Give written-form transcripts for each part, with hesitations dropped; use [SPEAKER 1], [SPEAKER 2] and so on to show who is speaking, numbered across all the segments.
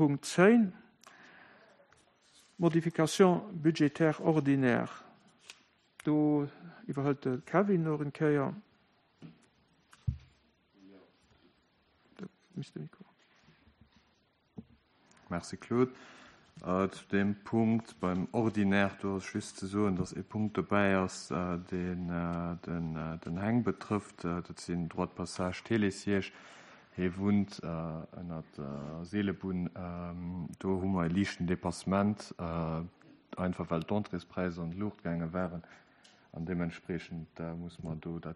[SPEAKER 1] Punkt 10, Modification budgétaire ordinaire. Do iwwerhëlt de Kevin nach eng Kéier.
[SPEAKER 2] Merci Claude. Zu deem Punkt beim Ordinaire, do ass just ze soen, datt ee Punkt dobäi ass, deen den Heng betrëfft. Dat sinn Droits de passage Télésiège. Hie wunnt ënner der Seelebunn. Do hu mer e liichten Dépassement, einfach well d'Entréespräisser an d'Luucht gaange waren. An deementspreechend muss mer do dat,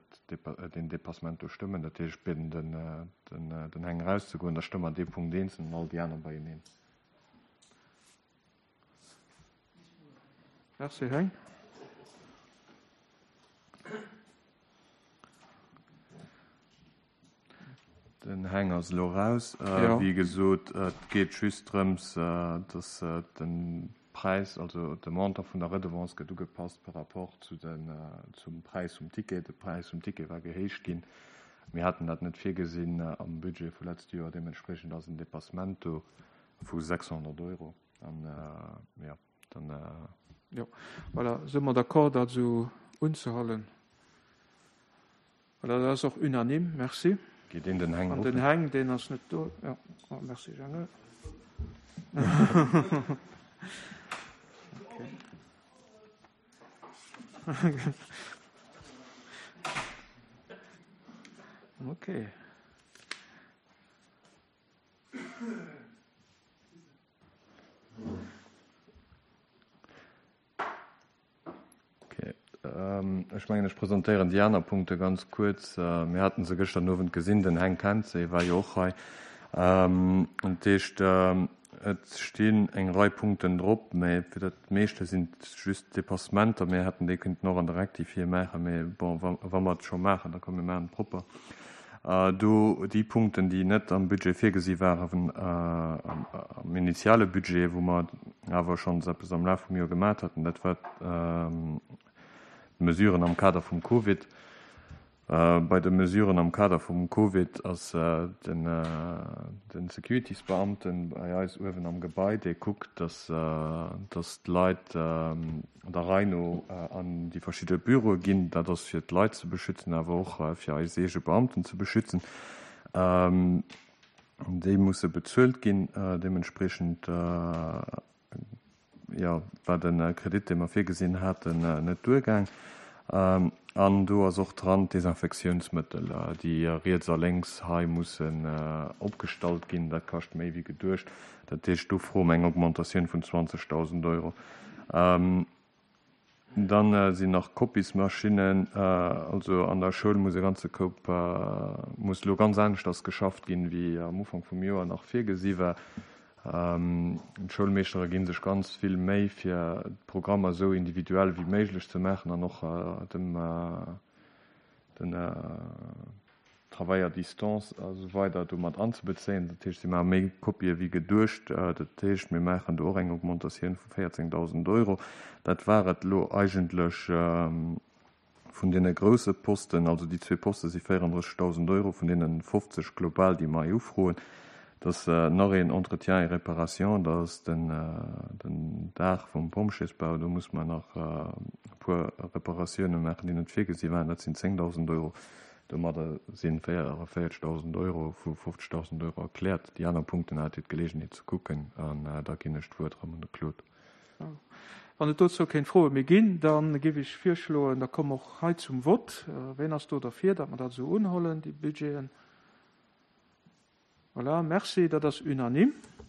[SPEAKER 2] deen Dépassement do stëmmen. Dat heescht, ech bieden den Heng erauszegoen, da stëmme mer dee Punkt eenzel an all déi aner beieneen.
[SPEAKER 1] Merci, Heng.
[SPEAKER 2] Den Heng ass elo raus. Wéi gesot, et geet just drëms, datt de Präis, also de Montant vun der Redevance gëtt ugepasst par rapport zu den, zum Präis vum Ticket. De Präis vum Ticket war gehéicht ginn. Mir haten dat net virgesinn am Budget vu letzte Joer. Deementspriechend ass en Dépassement do vu 600 Euro. An, jo, dann.
[SPEAKER 1] Jo, voilà, si mer d'accord, dat esou unzehuelen? Voilà, dat ass och unanime. Merci.
[SPEAKER 2] Geet een den Heng
[SPEAKER 1] ruffen? An den Heng, deen ass net do. Jo, oh, merci Jeannot. Okay. Okay.
[SPEAKER 2] Okay. Ech mengen, ech presentéieren déi aner Punkte ganz kuerz. Mir haten se gëschter Owend gesinn, den Heng kennt se, e war jo och hei. Dat heescht, et stinn eng Rei Punkten drop, mä fir dat meeschte sinn et just Dépassementer. Mir hätten déi kënnten och an der Rectifié maachen, mä bon, wa mer et scho maachen, da komm mir maachen et propper. Do déi Punkten, déi net am Budget virgesi waren, am initiale Budget, wou mer awer schonns eppes am Laf vum Joer gemat haten, dat war d'Mesuren am Kader vum Covid. Bei de Mesuren am Kader vum Covid ass de Securities-Beamten bei eis uewen am Gebai, dee kuckt, dass d'Leit der Rei no an déi verschidde Büroe ginn. Dat ass fir d'Leit ze beschützen, awer och fir eis eege Beamten ze beschützen. Déi musse bezuelt ginn. Deementspriechend, jo, war de Kredit, dee mer virgesinn haten, net duergaang. An do ass och dran d'Desinfektiounsmëttel, déi riets a lénks hei mussen opgestallt ginn. Dat kascht méi wéi geduecht. Dat heescht, do froe mer eng Augmentatioun vun 20.000 Euro. Dann sinn nach Kopiesmaschinnen, also an der Schoul muss e ganze Koup, muss elo ganz aneschters geschafft ginn, wéi am Ufank vum Joer nach virgesi war. D'Schoulmeeschtere gi sech ganz vill Méi, fir d'Programmer esou individuell wéi méiglech ze maachen an och dem den Travail à distance a sou weider do mat anzebezéien. Dat heescht, si maache méi Kopië wéi geduecht. Dat heescht, mir maachen do och eng Augmentatioun vu 14.000 Euro. Dat war et elo eigentlech vun deene grousse Posten. Also déi zwee Poste si 34.000 Euro vun deene 50 global, déi mer hei ufroen. Et ass nach een Entretien et réparation, dat ass den Daach vum Pompjeesbau. Do musse mer nach e puer Reparatioune maachen, déi net virgesi waren. Dat sinn 10.000 Euro. Domadder si 44.000 Euro vu 50.000 Euro erkläert. Déi aner Punkten hat Dir d'Geleegenheet ze kucken an da ginn ech d'Wuert erëm un de Claude.
[SPEAKER 1] Wann et dozou kéng Froe méi ginn, da géif ech virschloen, da komme mer och hei zum Vott. Ween ass do derfir, datt mer dat esou unhollen, déi Budgeten? Voilà, merci, dat ass unanime.